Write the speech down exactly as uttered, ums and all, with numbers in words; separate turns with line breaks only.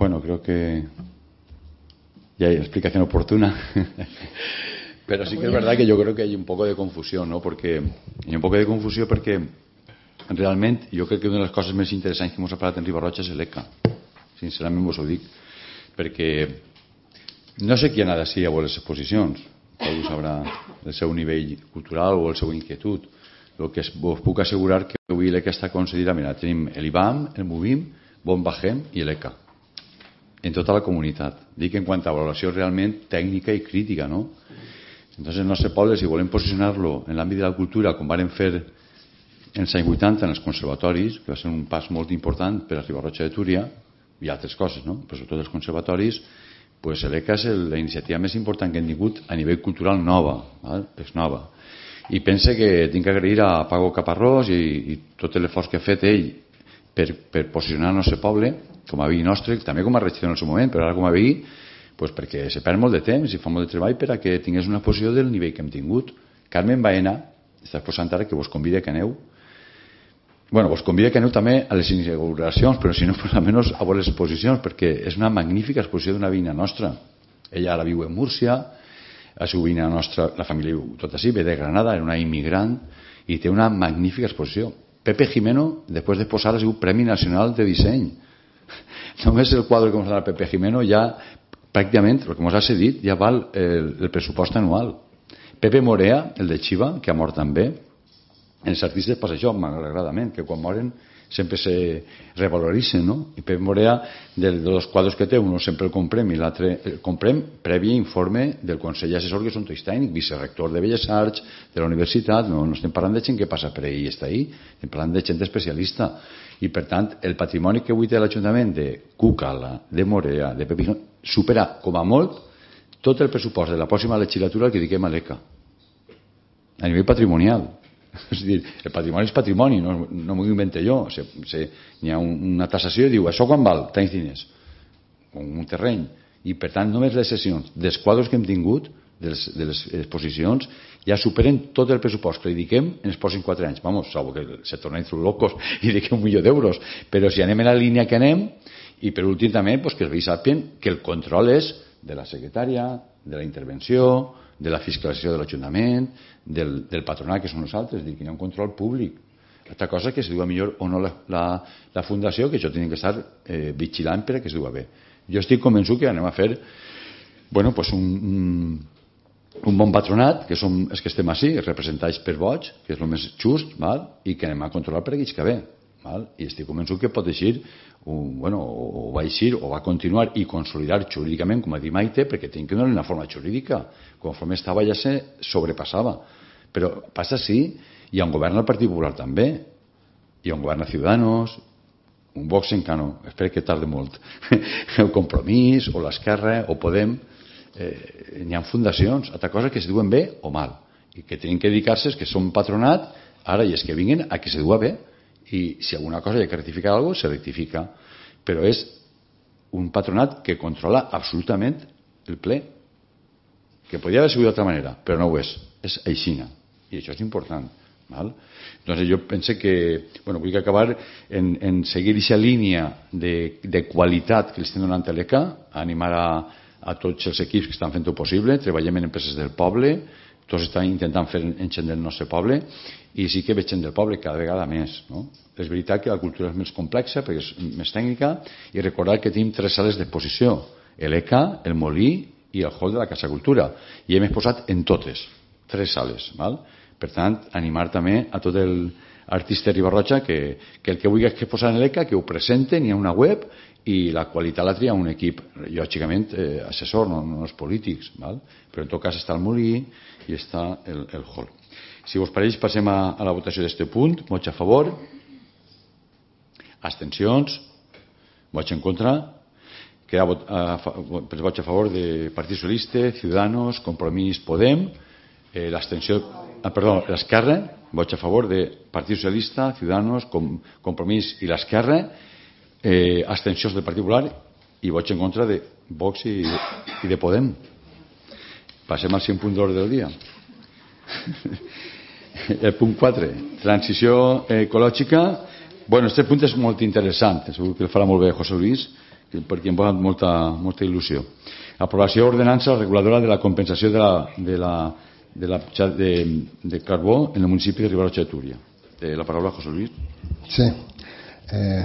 bueno, creo que ya hay explicación oportuna. Pero sí que es verdad que yo creo que hay un poco de confusión, ¿no? Porque hay un poco de confusión perquè realment jo crec que una de les coses més interessants que ens ha parlat en Riba-roja és l'E C A. Sincerament vos ho dic. Perquè no sé qui anà d'ací a veure les exposicions. Algú sabrà el seu nivell cultural o el seu inquietud. El que vos puc assegurar que avui l'E C A està concedida. Mira, tenim l'IBAM, el MUBIM, Bon Bajem i l'E C A. En tota la comunitat. Dic en quant a valoració realment tècnica i crítica, no? Entonces, el nostre poble, si volem posicionar-lo en l'àmbit de la cultura, com varen fer en els anys vuitanta en els conservatoris, que va ser un pas molt important per a Riba-roja de Túria, i altres coses, no? Però sobretot els conservatoris, pues l'E C A és la iniciativa més important que hem tingut a nivell cultural nova, val? És nova. I pense que tinc que agrair a Pago Caparrós i, i tot l'esforç que ha fet ell per, per posicionar el nostre poble com a veí nostre, també com a regidor en el seu moment, però ara com a veí, pues perquè se perd molt de temps i fa molt de treball per a que tingués una posició del nivell que hem tingut. Carmen Baena està posant ara que vos convida que aneu. Bueno, vos convida que aneu també a les inauguracions, però si no, per almenys a veure les exposicions, perquè és una magnífica exposició d'una veïna nostra. Ella ara viu en Múrcia, la seva veïna nostra, la família viu tot així, ve de Granada, era una immigrant, i té una magnífica exposició. Pepe Jimeno, després de posar, ha sigut Premi Nacional de Disseny. Només el quadre que ens ha donat Pepe Jimeno ja pràcticament, el que ens ha cedit, ja val el, el pressupost anual. Pepe Morea, el de Xiva, que ha mort també, els artistes passa això, malauradament, que quan moren sempre se revaloritzen, no? I Pepe Morea, de, de los quadres que té, un sempre el comprem i l'altre el comprem previ informe del Consell Assessor, que és un tècnic, vicerector de Belles Arts, de la universitat, no, no estem parlant de gent que passa per ahí i està ahí, estem parlant de gent especialista. I per tant, el patrimoni que avui té l'Ajuntament de Cucala, de Morea, de Pepe, supera com a molt tot el pressupost de la pròxima legislatura que dediquem a l'E C A. A nivell patrimonial. És dir, el patrimoni és patrimoni, no, no m'ho invento jo. Se, se, hi ha un, una tassació i diu, això quan val? Tants diners. Un terreny. I per tant, només les sessions dels quadres que hem tingut, de les, de les exposicions, ja superen tot el pressupost que li dediquem en els pròxims quatre anys. Vamos, salvo que se tornen locos i dediquem un milió d'euros. Però si anem en la línia que anem, i per últim també, pues, que els veïns sàpien que el control és de la secretària, de la intervenció, de la fiscalització de l'Ajuntament, del, del patronat, que són nosaltres, és dir, que hi ha un control públic. Altra cosa que es diu millor o no la, la, la fundació, que això tenen que estar eh, vigilant per a que es diu bé. Jo estic convençut que anem a fer bueno, pues un, un, un bon patronat, que som els que estem així, representats per vots, que és el més just, val? I que anem a controlar per aquells que ve. Val? I estic convençut que pot eixir un, bueno, o va eixir o va continuar i consolidar jurídicament, com ha dit Maite, perquè tinc que donar una forma jurídica. Conforme estava ja se sobrepassava. Però passa així, hi ha un govern al Partit Popular també, hi ha un govern a Ciudadanos, un Vox encara no, espero que tarde molt, el Compromís o l'Esquerra o Podem, eh, hi ha fundacions, altra cosa que es diuen bé o mal, i que tenen que dedicar-se, que són patronat, ara i és que vinguin a que se diu bé, i si alguna cosa hi ha que rectificar alguna cosa, se rectifica, però és un patronat que controla absolutament el ple, que podria haver sigut d'altra manera, però no ho és, és aixina, i això és important. Val? Doncs jo penso que bueno, vull acabar en, en seguir aquesta línia de, de qualitat que li estem donant a l'E C A, animar a, a tots els equips que estan fent-ho possible, treballem en empreses del poble, tots estan intentant fer en gent del nostre poble, i sí que veig gent del poble cada vegada més, no? És veritat que la cultura és més complexa perquè és més tècnica, i recordar que tenim tres sales d'exposició, l'E C A, el Molí i el hall de la Casa Cultura, i hem exposat en totes tres sales, val? Per tant, animar també a tot el artista Riba-roja que, que el que vulgui que posar en l'E C A, que ho presenten, hi ha una web, i la qualitat la tria un equip, lògicament eh, assessor, no, no els polítics, val? Però en tot cas està el Molí i està el, el hall. Si vos pareix, passem a, a la votació d'este punt. Vots a favor, abstencions, vots en contra, queda vot, a, a, vots a favor de Partit Socialista, Ciudadanos, Compromís, Podem, eh, l'abstenció, ah, perdó, l'Esquerra, vots a favor de Partit Socialista, Ciudadanos, Com, Compromís i l'Esquerra, eh, abstencions del Partit Popular i vots en contra de Vox i, i de Podem. Passem al cinc punt d'ordre del dia. El punt quatre, transició ecològica. Bueno, este punt és molt interessant, segur que el farà molt bé José Luis, perquè em fa molta, molta il·lusió. Aprovació d'ordenança reguladora de la compensació de la, de la, de la de, de carbó en el municipi de Riba-roja de Túria. Eh, la paraula, José Luis.
Sí. Eh,